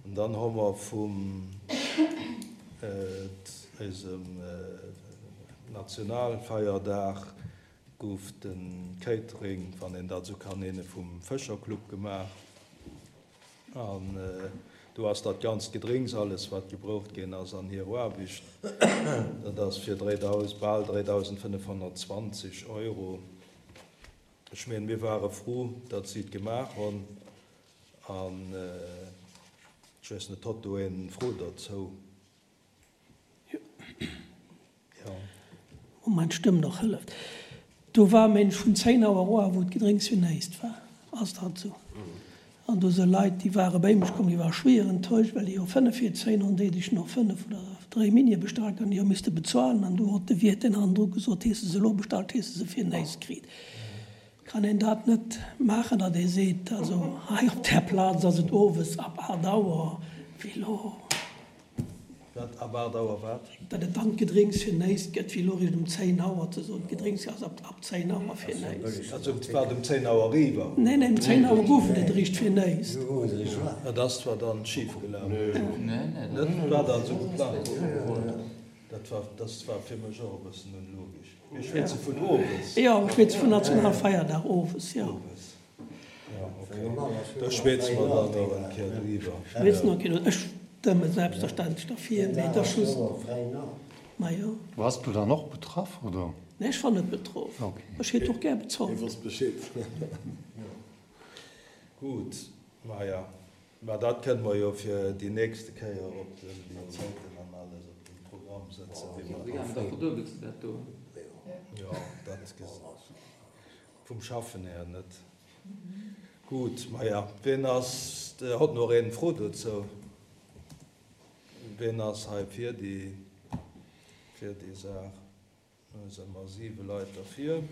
An dann hu mer vum eisem Nationalfeierdag gouf de Catering, wann een dat esou kann nennen, vum Fëscherclub gemaach. An do ass dat ganzt Gedrénks, alles wat gebroucht ginn ass an hir Aarbecht, dat ass fir bal 3.520 Euro. Ech mengen, mir ware fru, datt si et gemaach hunn. An ech weess net, hott do een Fro derzou? Jo. Wou mein Stëmm nach hëlleft. Do war mensch vun 10 Auer oa wou d'Gedrénks fir näist war. Ass dat esou? An do se Leit déi ware béi mech komm, déi ware schwéier enttäuscht, well déi jo 5 vir 10 an déi dech no 5 oder 3 Minie bestallt an déi hu misste bezuelen an du hott de Wiert deen hannendru gesot, hees de se elo bestallt, hees de se fir näist kriit. Kann een dat net maachen, datt ee seet, also hei op där Plaz ass et owes ab 8 Auer, wéi elo. Wat? Ab 8 Auer wat? Datt et dann d'Gedrénks fir néist gëtt, wéi elo eréischt um 10 Auer ze soen, d'Gedrénks ass ab 10 Auer fir néist. Also et war um 10 Auer eriwwer? Nee, nee, um 10 Auer gouf et et eréischt fir néist. Dat ass zwar dann schif gelaf. Net war dat esou geplangt? Dat war, dat war fir mech och e bëssen onlogesch. Mir schwätze vun owes. Jo, ech schwätze vun Nationalfeierdag owes, jo. Da schwätze mer dann nach eng Kéier driwwer. Schwätze nach eng Kéier driwwer. Ech stëmme selbstverständlech derfir, mee et ass just, majo. Wars du dann och betraff, oder? Nee, ech war net betroff. Ech hätt och gär bezollt. Hie wosst Bescheed. Gutt, maja, mä dat kënne mer jo fir déi nächste Kéier op den, déi Zäiten an alles op den Programm sëtzen, wéi mer Da verduebels de dat do. Jo, dat Vum Schaffen här net. Gutt, maja, ween ass, hott nach een Fro dozou? Ween ass hei fir déi, fir déi Saach? Do si mer 7 Leit derfir.